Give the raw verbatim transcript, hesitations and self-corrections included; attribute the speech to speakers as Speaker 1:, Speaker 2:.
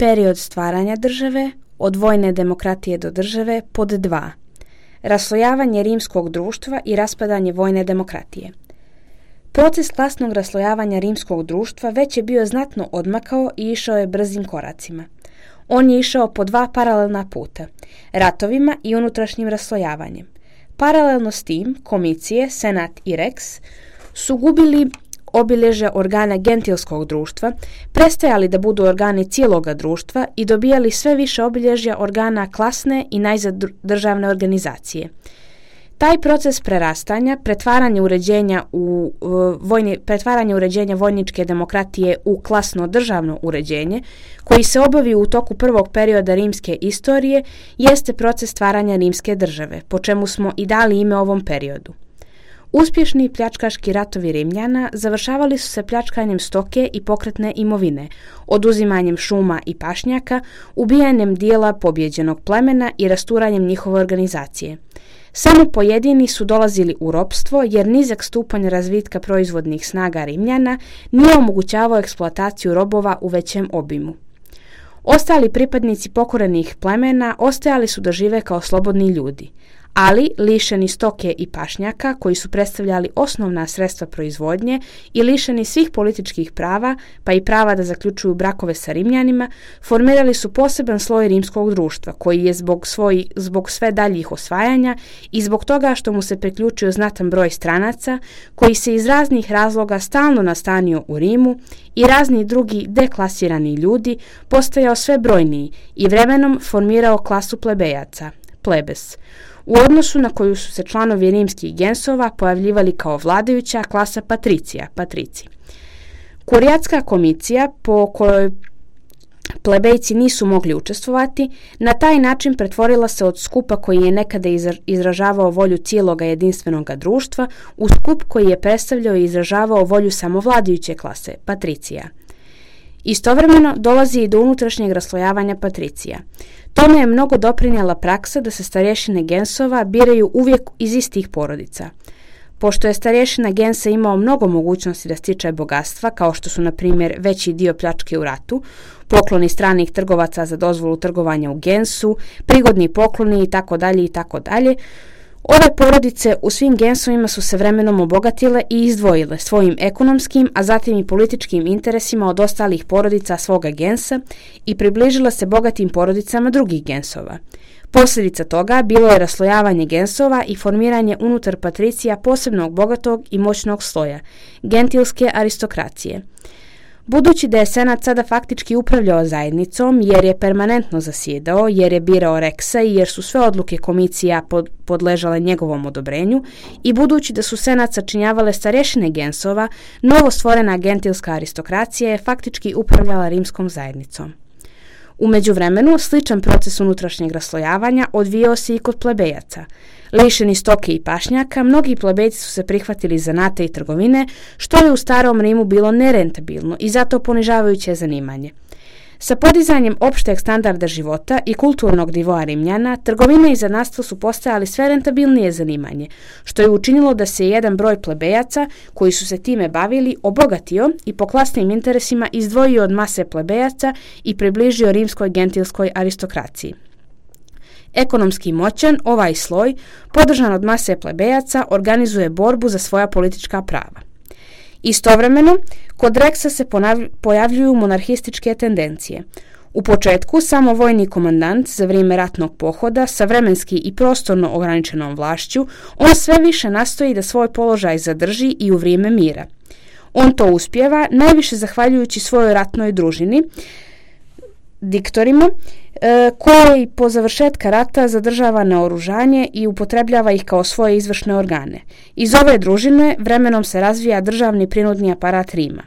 Speaker 1: Period stvaranja države, od vojne demokratije do države, pod dva. Raslojavanje rimskog društva i raspadanje vojne demokratije. Proces klasnog raslojavanja rimskog društva već je bio znatno odmakao i išao je brzim koracima. On je išao po dva paralelna puta, ratovima i unutrašnjim raslojavanjem. Paralelno s tim, komicije, senat i rex su gubili obilježja organa gentilskog društva, prestajali da budu organi cijeloga društva i dobijali sve više obilježja organa klasne i najzad državne organizacije. Taj proces prerastanja, pretvaranja uređenja, u, vojni, pretvaranja uređenja vojničke demokratije u klasno državno uređenje, koji se obavi u toku prvog perioda rimske istorije, jeste proces stvaranja rimske države, po čemu smo i dali ime ovom periodu. Uspješni pljačkaški ratovi Rimljana završavali su se pljačkanjem stoke i pokretne imovine, oduzimanjem šuma i pašnjaka, ubijanjem dijela pobjeđenog plemena i rasturanjem njihove organizacije. Samo pojedini su dolazili u ropstvo jer nizak stupanj razvitka proizvodnih snaga Rimljana nije omogućavao eksploataciju robova u većem obimu. Ostali pripadnici pokorenih plemena ostajali su da žive kao slobodni ljudi, ali lišeni stoke i pašnjaka koji su predstavljali osnovna sredstva proizvodnje i lišeni svih političkih prava, pa i prava da zaključuju brakove sa Rimljanima, formirali su poseban sloj rimskog društva koji je zbog, svoj, zbog sve daljih osvajanja i zbog toga što mu se priključio znatan broj stranaca koji se iz raznih razloga stalno nastanio u Rimu i razni drugi deklasirani ljudi postajao sve brojniji i vremenom formirao klasu plebejaca, plebes, u odnosu na koju su se članovi rimskih gensova pojavljivali kao vladajuća klasa patricija, patrici. Kurijatska komisija, po kojoj plebejci nisu mogli učestvovati, na taj način pretvorila se od skupa koji je nekada izražavao volju cijeloga jedinstvenog društva u skup koji je predstavljao i izražavao volju samovladajuće klase, patricija. Istovremeno dolazi i do unutrašnjeg raslojavanja patricija. Tome je mnogo doprinijela praksa da se starješine gensova biraju uvijek iz istih porodica. Pošto je starješina gensa imao mnogo mogućnosti da stiče bogatstva, kao što su na primjer veći dio pljačke u ratu, pokloni stranih trgovaca za dozvolu trgovanja u gensu, prigodni pokloni itd. itd., ove porodice u svim gensovima su se vremenom obogatile i izdvojile svojim ekonomskim, a zatim i političkim interesima od ostalih porodica svoga gensa i približile se bogatim porodicama drugih gensova. Posljedica toga bilo je raslojavanje gensova i formiranje unutar patricija posebnog bogatog i moćnog sloja, gentilske aristokracije. Budući da je senat sada faktički upravljao zajednicom jer je permanentno zasjedao, jer je birao reksa i jer su sve odluke komisija pod, podležale njegovom odobrenju i budući da su senat sačinjavale starješine gensova, novo stvorena gentilska aristokracija je faktički upravljala rimskom zajednicom. U međuvremenu, sličan proces unutrašnjeg raslojavanja odvijao se i kod plebejaca. Lišeni stoke i pašnjaka, mnogi plebejci su se prihvatili zanata i trgovine, što je u starom Rimu bilo nerentabilno i zato ponižavajuće zanimanje. Sa podizanjem opšteg standarda života i kulturnog nivoa Rimljana, trgovina i zanatstvo su postajali sve rentabilnije zanimanje, što je učinilo da se jedan broj plebejaca koji su se time bavili obogatio i po klasnim interesima izdvojio od mase plebejaca i približio rimskoj gentilskoj aristokraciji. Ekonomski moćan, ovaj sloj, podržan od mase plebejaca, organizuje borbu za svoja politička prava. Istovremeno, kod reksa se pojavljuju monarhističke tendencije. U početku samo vojni komandant za vrijeme ratnog pohoda sa vremenski i prostorno ograničenom vlašću, on sve više nastoji da svoj položaj zadrži i u vrijeme mira. On to uspijeva najviše zahvaljujući svojoj ratnoj družini, diktorima, e, koje po završetka rata zadržava naoružanje i upotrebljava ih kao svoje izvršne organe. Iz ove družine vremenom se razvija državni prinudni aparat Rima.